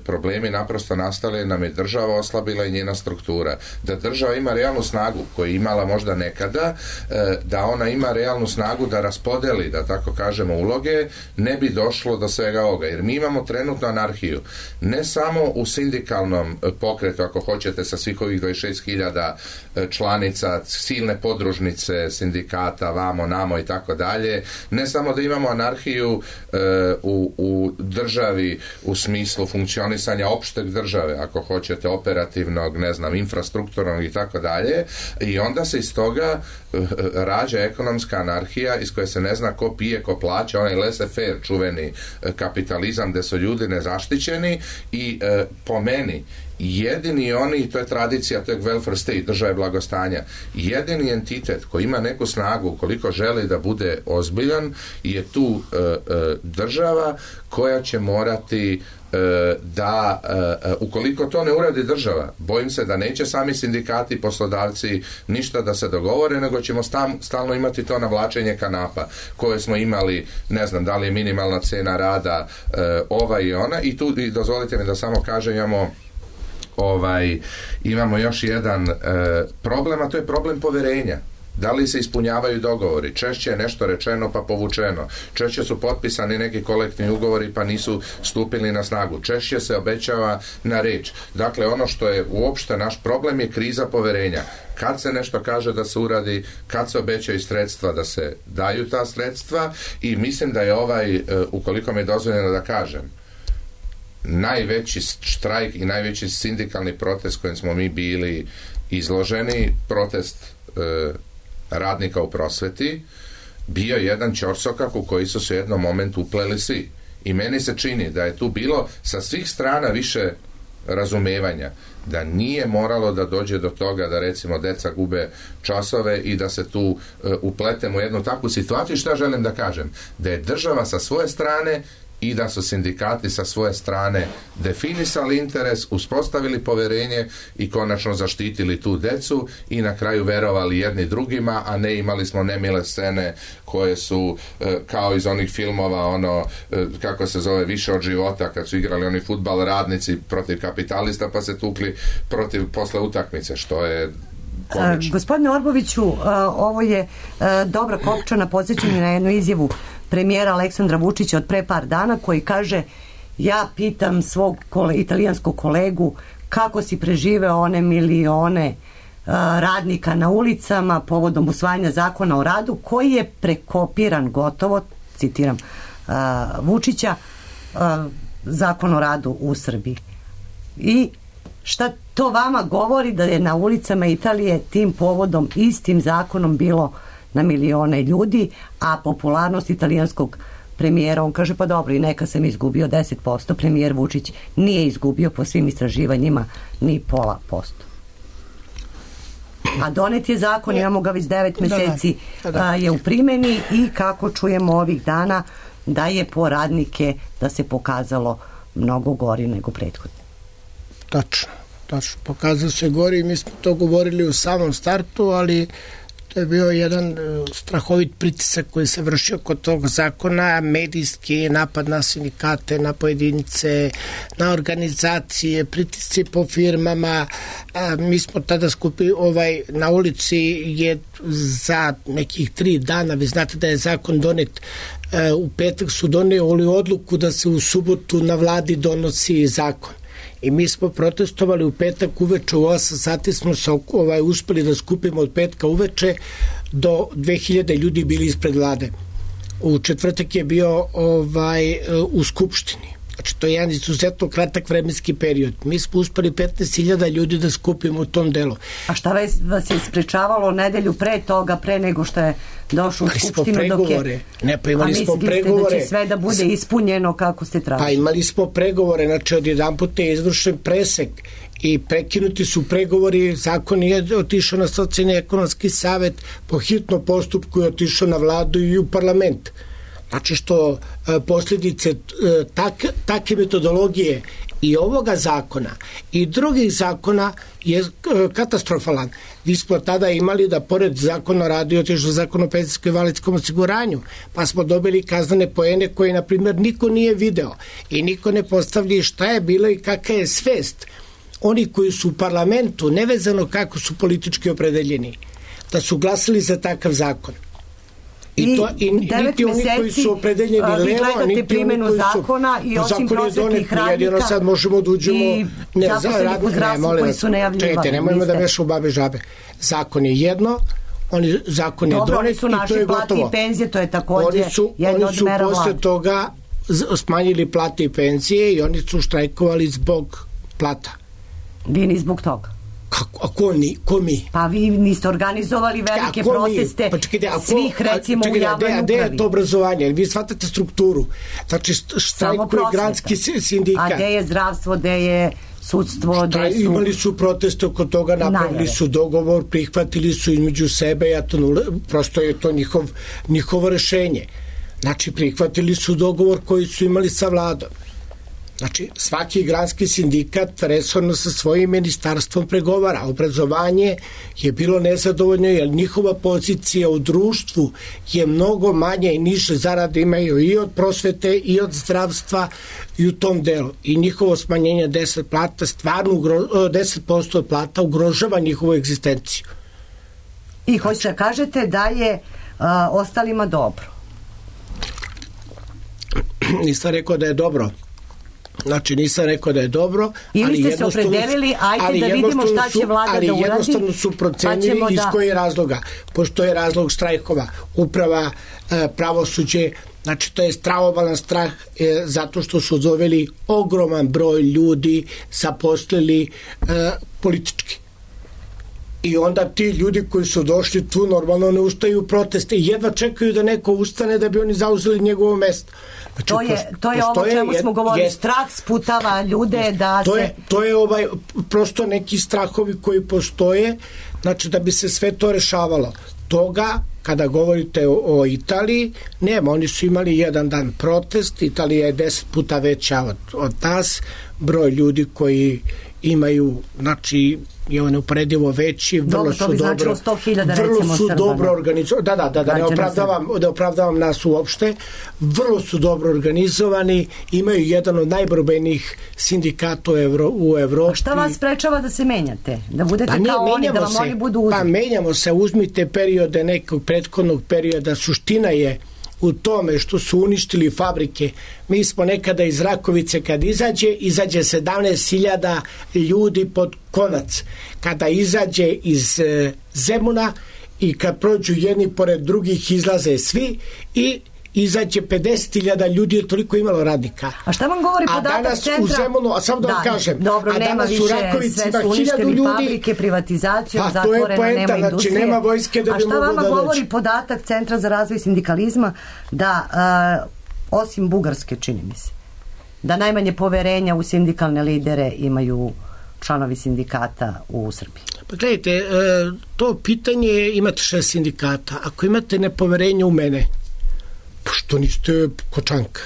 problemi naprosto nastali, nam je država oslabila i njena struktura. Da država ima realnu snagu koju je imala možda nekada, da ona ima realnu snagu da raspodeli, da tako kažemo, uloge, ne bi došlo do svega ovoga. Jer mi imamo trenutno anarhiju. Ne samo u sindikalnom pokretu, ako hoćete, sa svih ovih 26.000 članica, silne podružnice sindikata, vamo, namo i tako dalje. Ne samo da imamo anarhiju u državi u smislu funkcionisanja opšteg države, ako hoćete, operativnog, ne znam, infrastrukturnog i tako dalje. I onda se iz toga rađa ekonomska anarhija iz koje se ne zna ko pije, ko plaća, onaj laissez-faire, čuveni kapitalizam gde su ljudi nezaštićeni i po meni jedini oni, to je tradicija tog welfare state, države blagostanja, jedini entitet koji ima neku snagu koliko želi da bude ozbiljan je tu država koja će morati da ukoliko to ne uradi država, bojim se da neće sami sindikati, poslodavci ništa da se dogovore, nego ćemo stalno imati to navlačenje kanapa koje smo imali, ne znam da li je minimalna cena rada ova i ona, i tu i dozvolite mi da samo kažem, imamo još jedan problem, a to je problem poverenja. Da li se ispunjavaju dogovori? Češće je nešto rečeno pa povučeno. Češće su potpisani neki kolektivni ugovori pa nisu stupili na snagu. Češće se obećava na reč. Dakle, ono što je uopšte naš problem je kriza poverenja. Kad se nešto kaže da se uradi, kad se obećaju sredstva da se daju ta sredstva, i mislim da je ukoliko mi je dozvoljeno da kažem, najveći štrajk i najveći sindikalni protest kojim smo mi bili izloženi, protest radnika u prosveti, bio jedan ćorsokak u koji su se u jednom momentu upleli svi. I meni se čini da je tu bilo sa svih strana više razumevanja, da nije moralo da dođe do toga da recimo deca gube časove i da se tu upletemo u jednu takvu situaciju. Šta želim da kažem? Da je država sa svoje strane i da su sindikati sa svoje strane definisali interes, uspostavili poverenje i konačno zaštitili tu decu i na kraju verovali jedni drugima, a ne imali smo nemile scene koje su kao iz onih filmova, kako se zove, Više od života, kad su igrali oni fudbal radnici protiv kapitalista pa se tukli posle utakmice, što je komično. Gospodine Orboviću, ovo je dobra kopčana podsjećanje na jednu izjavu premijera Aleksandra Vučića od pre par dana, koji kaže: ja pitam svog italijanskog kolegu kako si preživeo one milione radnika na ulicama povodom usvajanja zakona o radu, koji je prekopiran gotovo, citiram Vučića, zakon o radu u Srbiji. I šta to vama govori da je na ulicama Italije tim povodom istim zakonom bilo na milione ljudi, a popularnost italijanskog premijera, on kaže pa dobro, i neka sam izgubio 10%, premijer Vučić nije izgubio po svim istraživanjima ni 0,5%. A donet je zakon, imamo ga već 9 meseci, je u primjeni, i kako čujemo ovih dana da je po radnike da se pokazalo mnogo gori nego prethodno. Tačno, pokazalo se gori, mi smo to govorili u samom startu, ali to je bio jedan strahovit pritisak koji se vršio kod tog zakona, medijski napad na sindikate, na pojedince, na organizacije, pritisci po firmama. Mi smo tada skupili na ulici je za nekih 3 dana, vi znate da je zakon donet, u petak su donijeli odluku da se u subotu na vladi donosi zakon. I mi smo protestovali u petak uveče, u 8 sati smo se uspeli da skupimo od petka uveče, do 2000 ljudi bili ispred vlade. U četvrtak je bio u Skupštini. Znači, to je jedan izuzetno kratak vremenski period. Mi smo uspeli 15.000 ljudi da skupimo u tom delu. A šta vas je sprečavalo nedelju pre toga, pre nego što je došao u Skupštinu? Imali smo pregovore. Da će sve da bude ispunjeno kako ste tražili? Pa imali smo pregovore, znači odjedan put je izvršen presek i prekinuti su pregovori, zakon je otišao na socijalni ekonomski savet, po hitnom postupku je otišao na vladu i u parlament. Znači što posljedice takve metodologije i ovoga zakona i drugih zakona je katastrofalan. Vi smo tada imali da pored zakona o radu otišao zakon o penzijskom i invalidskom osiguranju, pa smo dobili kaznene poene koje, na primjer, niko nije video i niko ne postavlja šta je bilo i kakva je svest oni koji su u parlamentu, nevezano kako su politički opredeljeni, da su glasili za takav zakon. I niti oni koji su opredeljeni levo, niti oni koji su... zakona i osim prosvetnih radnika jedino sad možemo da uđemo... i zaposlenih u zdravstvu koji su najavljivali. Čekajte, nemojmo da mešamo babe žabe. Zakon je jedno, zakon je donet i to je gotovo. Dobro, oni su naši plati i penzije, to je takođe jedno od mera vlade. Oni su posle toga smanjili plate i penzije i oni su štrajkovali zbog plata. Vi ni zbog toga? A ko mi? Pa vi niste organizovali velike proteste svih, recimo, u javnoj upravi. Gde je to obrazovanje? Vi shvatate strukturu. Znači, štrajkuje granski sindikat. A gde je zdravstvo, gde je sudstvo, imali su proteste oko toga, napravili su dogovor, prihvatili su između sebe, prosto je to njihovo rešenje. Znači, prihvatili su dogovor koji su imali sa vladom. Znači, svaki granski sindikat resorno sa svojim ministarstvom pregovara. Obrazovanje je bilo nezadovoljno jer njihova pozicija u društvu je mnogo manje i niže zarade imaju i od prosvete i od zdravstva i u tom delu. I njihovo smanjenje 10% plata ugrožava njihovu egzistenciju. I hoćete da kažete da je ostalima dobro? Nisam rekao da je dobro. Znači, nisam rekao da je dobro. Ili ste se opredelili, ajde da vidimo šta će vlada da uradi. Ali jednostavno su procenili iz kojih razloga. Pošto je razlog štrajkova, uprava, pravosuđe, znači to je stravovalan strah zato što su doveli ogroman broj ljudi, zaposlili politički. I onda ti ljudi koji su došli tu normalno ne ustaju u proteste i jedva čekaju da neko ustane da bi oni zauzeli njegovo mesto. Znači, to je ovo o čemu smo govorili, strah sputava ljude da se... To je prosto neki strahovi koji postoje, znači da bi se sve to rešavalo. Toga, kada govorite o Italiji, nema, oni su imali jedan dan protest, Italija je 10 puta veća od nas, broj ljudi koji imaju, znači, je on uporedivo veći, vrlo su dobro, vrlo su dobro organizovani, ne opravdavam nas uopšte, vrlo su dobro organizovani, imaju jedan od najborbenijih sindikata u Evropi. A šta vas sprečava da se menjate? Da budete kao oni, da vam oni budu uzeti? Pa menjamo se, uzmite periode nekog prethodnog perioda, suština je u tome što su uništili fabrike. Mi smo nekada iz Rakovice kad izađe 17.000 ljudi pod konac. Kada izađe iz Zemuna i kad prođu jedni pored drugih izlaze svi i izađe 50.000 ljudi, je toliko imalo radnika. A šta vam govori podatak centra? U Zemunu, a sam da vam kažem, dobro, a danas više, u Rakovici sve su uništili fabrike, privatizacijom, zatvoreno, nema industrije. Znači, nema vojske da bi mogu da doći. A šta vama govori podatak Centra za razvoj sindikalizma da, osim Bugarske, čini mi se, da najmanje poverenja u sindikalne lidere imaju članovi sindikata u Srbiji? Pa gledajte, to pitanje, imate 6 sindikata. Ako imate nepoverenje u mene, što niste kod Čanka?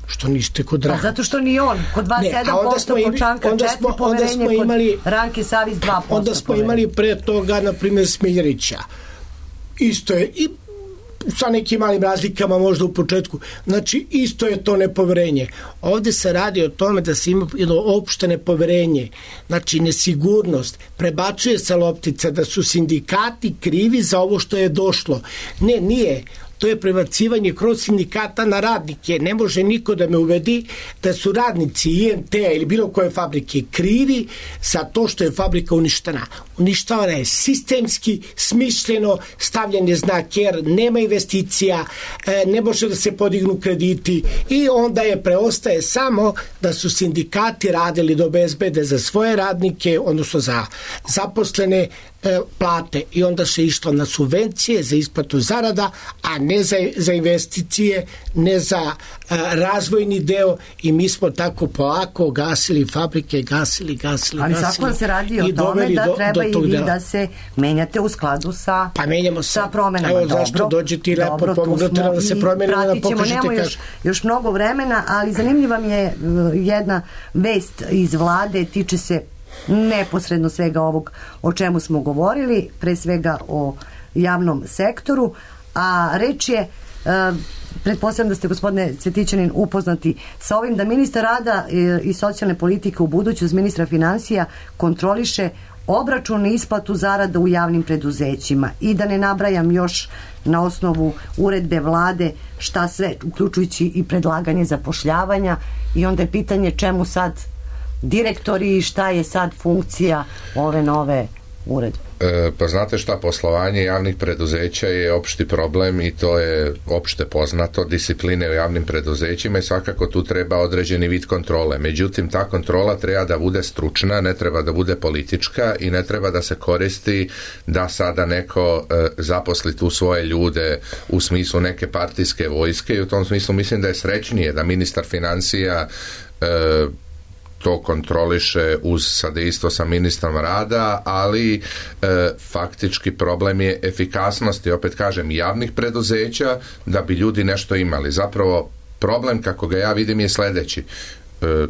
Što niste kod Ranke? Zato što ni on. Kod vas 7% kod Čanka, 4% poverenje, kod Ranke Savić 2%. Onda smo imali pre toga, na primjer, Smiljerića. Isto je, i sa nekim malim razlikama možda u početku. Znači, isto je to nepoverenje. Ovde se radi o tome da se ima jedno opšte nepoverenje, znači nesigurnost. Prebacuje se loptica da su sindikati krivi za ovo što je došlo. Ne, nije. To je prebacivanje kroz sindikata na radnike. Ne može niko da me uvedi da su radnici INT-a ili bilo koje fabrike krivi za to što je fabrika uništena. Uništavana je sistemski, smišljeno, stavljen je znak R, nema investicija, ne može da se podignu krediti i onda je preostaje samo da su sindikati radili da obezbede za svoje radnike, odnosno za zaposlene, plate i onda se išlo na subvencije za isplatu zarada, a ne za investicije, ne za razvojni deo i mi smo tako polako gasili fabrike, gasili. Ali zakon se radi o tome da treba i vi da se menjate u skladu sa promenama. Evo zašto dođete i lepo pomognete da se promenimo, da pokažete kako. Još mnogo vremena, ali zanimljiva mi je jedna vest iz vlade, tiče se neposredno svega ovog o čemu smo govorili, pre svega o javnom sektoru, a reč je, pretpostavljam da ste, gospodine Cvetićanin, upoznati sa ovim, da ministar rada i socijalne politike u buduću uz ministra finansija kontroliše obračun i isplatu zarada u javnim preduzećima i da ne nabrajam još na osnovu uredbe vlade šta sve, uključujući i predlaganje zapošljavanja, i onda je pitanje čemu sad direktori i šta je sad funkcija ove nove uredbe? Pa znate šta, poslovanje javnih preduzeća je opšti problem i to je opšte poznato, discipline u javnim preduzećima i svakako tu treba određeni vid kontrole. Međutim, ta kontrola treba da bude stručna, ne treba da bude politička i ne treba da se koristi da sada neko zaposli tu svoje ljude u smislu neke partijske vojske i u tom smislu mislim da je srećnije da ministar finansija to kontroliše uz sadejstvo sa ministrom rada, ali faktički problem je efikasnosti, opet kažem, javnih preduzeća da bi ljudi nešto imali. Zapravo problem, kako ga ja vidim, je sledeći.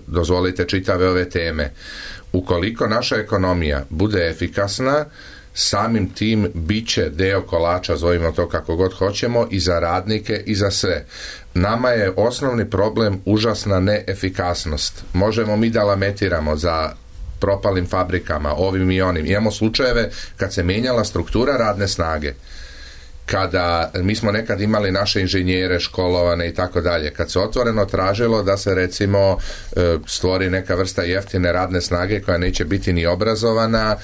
Dozvolite čitave ove teme. Ukoliko naša ekonomija bude efikasna, samim tim biće deo kolača, zovimo to kako god hoćemo, i za radnike i za sve. Nama je osnovni problem užasna neefikasnost. Možemo mi da lamentiramo za propalim fabrikama, ovim i onim. Imamo slučajeve kad se mijenjala struktura radne snage, kada mi smo nekad imali naše inženjere školovane i tako dalje, kad se otvoreno tražilo da se recimo stvori neka vrsta jeftine radne snage koja neće biti ni obrazovana,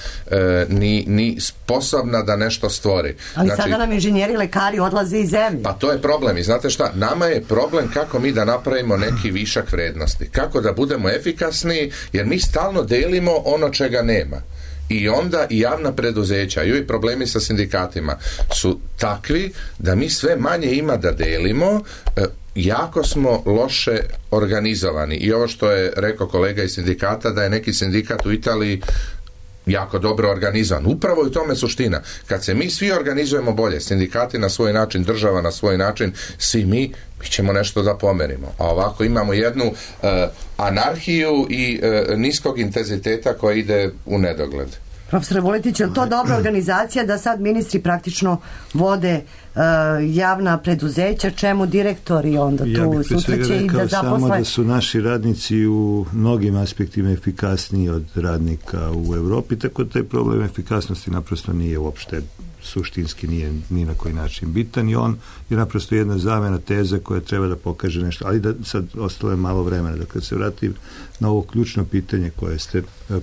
ni sposobna da nešto stvori. Ali znači, sada nam inženjeri, lekari odlaze iz zemlje. Pa to je problem i znate šta, nama je problem kako mi da napravimo neki višak vrednosti, kako da budemo efikasni, jer mi stalno delimo ono čega nema. I onda i javna preduzeća i ovi problemi sa sindikatima su takvi da mi sve manje ima da delimo, jako smo loše organizovani. I ovo što je rekao kolega iz sindikata, da je neki sindikat u Italiji jako dobro organizovan. Upravo je u tome suština. Kad se mi svi organizujemo bolje, sindikati na svoj način, država na svoj način, svi mi ćemo nešto da pomerimo. A ovako imamo jednu anarhiju i niskog intenziteta koja ide u nedogled. Profesor Vuletić, je li to dobra organizacija da sad ministri praktično vode javna preduzeća, čemu direktori onda tu sutra će i da zaposle? Samo da su naši radnici u mnogim aspektima efikasniji od radnika u Evropi, tako da taj problem efikasnosti naprosto nije uopšte suštinski, nije ni na koji način bitan i on je naprosto jedna zamena teza koja treba da pokaže nešto, ali da sad ostalo je malo vremena. Dakle, se vratim na ovo ključno pitanje koje ste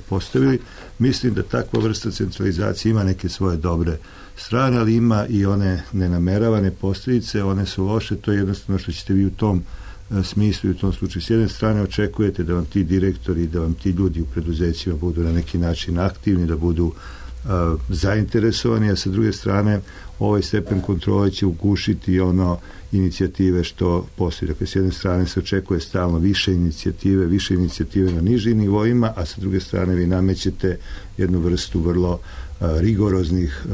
postavili, mislim da takva vrsta centralizacije ima neke svoje dobre strane, ali ima i one nenameravane posljedice, one su loše, to je jednostavno što ćete vi u tom smislu i u tom slučaju. S jedne strane očekujete da vam ti direktori, da vam ti ljudi u preduzećima budu na neki način aktivni, da budu zainteresovani, a sa druge strane ovaj stepen kontrole će ugušiti ono inicijative što postoji. Dakle, s jedne strane se očekuje stalno više inicijative na nižim nivoima, a sa druge strane vi namećete jednu vrstu vrlo rigoroznih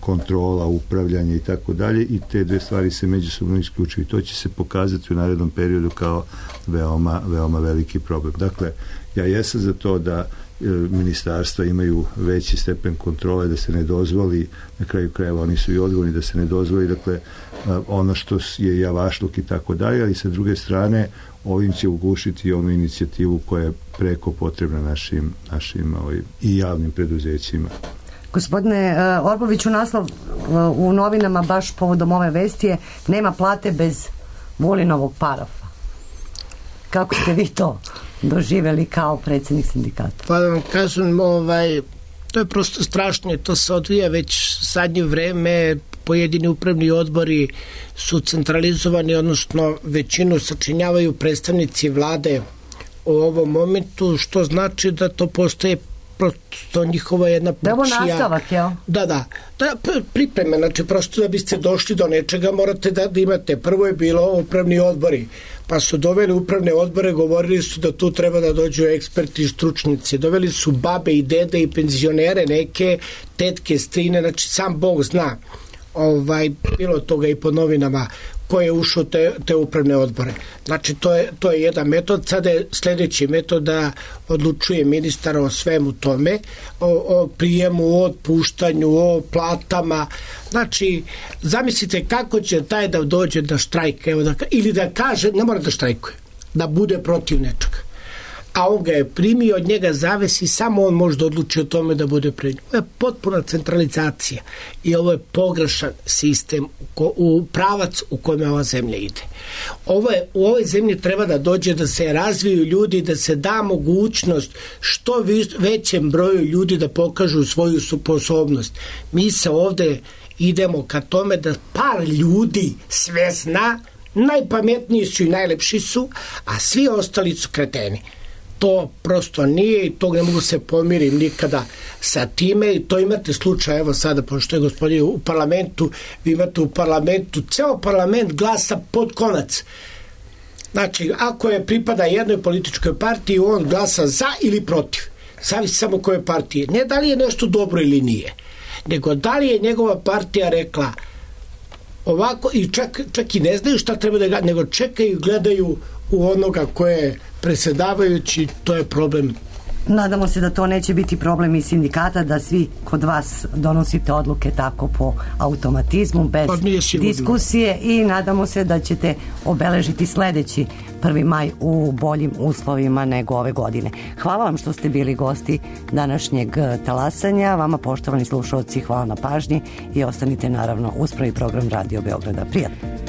kontrola, upravljanja i tako dalje i te dve stvari se međusobno isključuju i to će se pokazati u narednom periodu kao veoma, veoma veliki problem. Dakle, ja jesam za to da ministarstva imaju veći stepen kontrole, da se ne dozvoli, na kraju krajeva oni su i odgovorni, da se ne dozvoli, dakle, ono što je javašluk i tako dalje, ali sa druge strane ovim će ugušiti onu inicijativu koja je preko potrebna našim i javnim preduzećima. Gospodine Orboviću, naslov u novinama baš povodom ove vesti je nema plate bez Vulinovog parafa. Kako ste vi to doživjeli kao predsjednik sindikata? Pa da vam kažem, to je prosto strašno, to se odvija već zadnje vreme, pojedini upravni odbori su centralizovani, odnosno većinu sačinjavaju predstavnici vlade u ovom momentu, što znači da to postaje prosto njihova jedna da ovo nastavak, jel? Da, pripreme, znači prosto da biste došli do nečega morate da imate, prvo je bilo upravni odbori, pa su doveli upravne odbore, govorili su da tu treba da dođu eksperti i stručnici, doveli su babe i dede i penzionere, neke tetke, strine, znači sam Bog zna, bilo toga i po novinama ko je ušao te upravne odbore. Znači to je jedan metod. Sada je sljedeći metod da odlučuje ministar o svemu tome, o prijemu, o otpuštanju, o platama. Znači, zamislite kako će taj da dođe da štrajka, ili da kaže, ne mora da štrajkuje, da bude protiv nečega. A on ga je primio, od njega zavisi, samo on može da odluči o tome da bude pred njim. Ovo je potpuna centralizacija i ovo je pogrešan sistem u pravac u kojem ova zemlja ide. U ovoj zemlji treba da dođe da se razviju ljudi, da se da mogućnost što većem broju ljudi da pokažu svoju sposobnost. Mi se ovde idemo ka tome da par ljudi sve zna, najpametniji su i najlepši su, a svi ostali su kreteni. To prosto nije i to ne mogu se pomirim nikada sa time i to imate slučaj, evo sada, pošto je gospodin u parlamentu, vi imate u parlamentu, ceo parlament glasa pod konac. Znači, ako je pripada jednoj političkoj partiji, on glasa za ili protiv. Zavisi samo koje partije. Ne da li je nešto dobro ili nije, nego da li je njegova partija rekla ovako i čak i ne znaju šta treba da gledaju, nego čekaju i gledaju u onoga koje je predsjedavajući, to je problem Nadamo se da to neće biti problem i sindikata, da svi kod vas donosite odluke tako po automatizmu, bez diskusije, i nadamo se da ćete obeležiti sledeći 1. maj u boljim uslovima nego ove godine. Hvala vam što ste bili gosti današnjeg talasanja. Vama, poštovani slušalci, hvala na pažnji i ostanite naravno uz prvi program Radio Beograda. Prijatno.